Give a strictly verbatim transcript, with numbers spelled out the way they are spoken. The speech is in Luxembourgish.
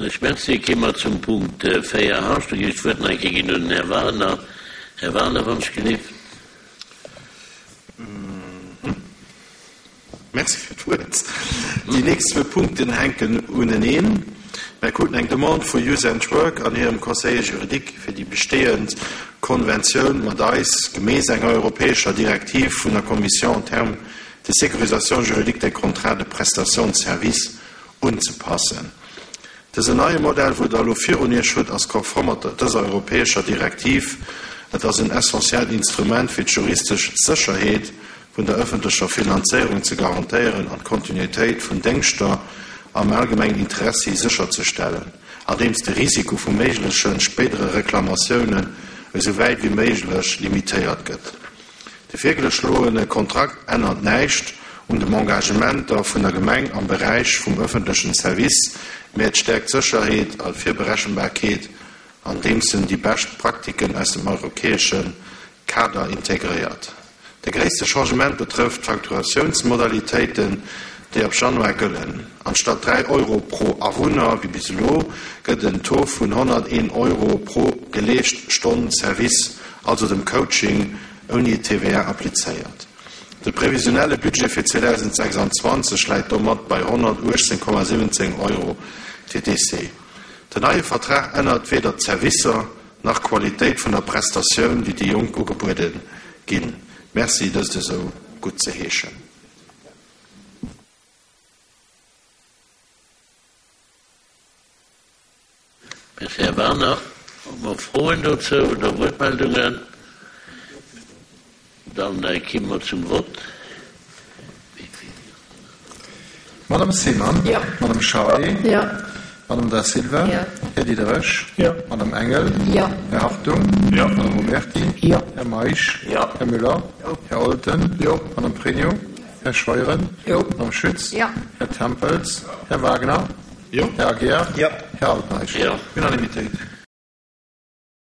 Soen ech Merci. Ki mer zum Punkt véier H. Do ginn ech d'Wuert nach eng Kéier ginn un den Här Wagner. Här Wagner, wann ech gelift. Merci fir d'Wuert. Déi nächst zwou Punkten hänken uneneen. Mir kruten eng Demande vu Youth and Work an hirem Conseiller juridique, fir déi bestehend Konventioun mat eis gemäss enger europäescher Direktiv vun der Commission en termes de sécurisation juridique des contrats de prestation de services unzepassen. Dësen neie Modell, wou Der elo virun Iech hutt, ass konform mat dëser europäescher Direktiv. Et ass en essentiellt Instrument fir d'juristesch Sécherheet vun der ëffentlecher Finanzéierung ze garantéieren an d'Kontinuitéit vun Déngschter am allgemengen Interessi sécherzestellen, andeems de Risiko vu méigleche spéidere Reklamatiounen esou wäit wéi méiglech limitéiert gëtt. De virgeschloene Kontrakt ännert näischt un den Engagementer vun der Gemeng am Beräich vum ëffentlechen Service, mä et stäerkt d'Sécherheet a Virberechenbarkeet, andeems en déi bescht Praktiken aus dem europäesche Kader integréiert. De gréisste Changement betrëfft d'Facturatiounsmodalitéiten, déi ab Januar gëllen. Anstatt dräi Euro pro Awunner wéi bis elo, gëtt en Taux vun honnerteen Euro pro geleescht Stonn Service, also dem Coaching, ouni T V A applizéiert. De previsionelle Budget fir zweedausendsechsanzwanzeg läit domat bei honnertuechtzéng Komma siwwenzéng Euro T T C. Den neie Vertrag ännert weder d'Servicer nach d'Qualitéit vun der Prestatioun, déi de Jonk ugebuede ginn. Merci, dëst esou guttzeheeschen. Merci, Här Wagner. Hu mer Froen dozou oder Wuertmeldungen? Dann ki mer zum Vott. Madame Seemann? Jo. Madame Charlé? Jo. Madame Da Silva? Jo. Här Diderich? Jo. Madame Engel? Jo. Här Hartung? Jo. Madame Oberti? Jo. Här Meisch? Jo. Här Müller? Jo. Här Olten? Jo. Madame Pregno? Här Scheuren? Jo. Madame Schütz? Jo. Här Tempels? Här Wagner? Jo. Här Aguiar? Jo. Här Altmeisch? Jo. Unanimitéit.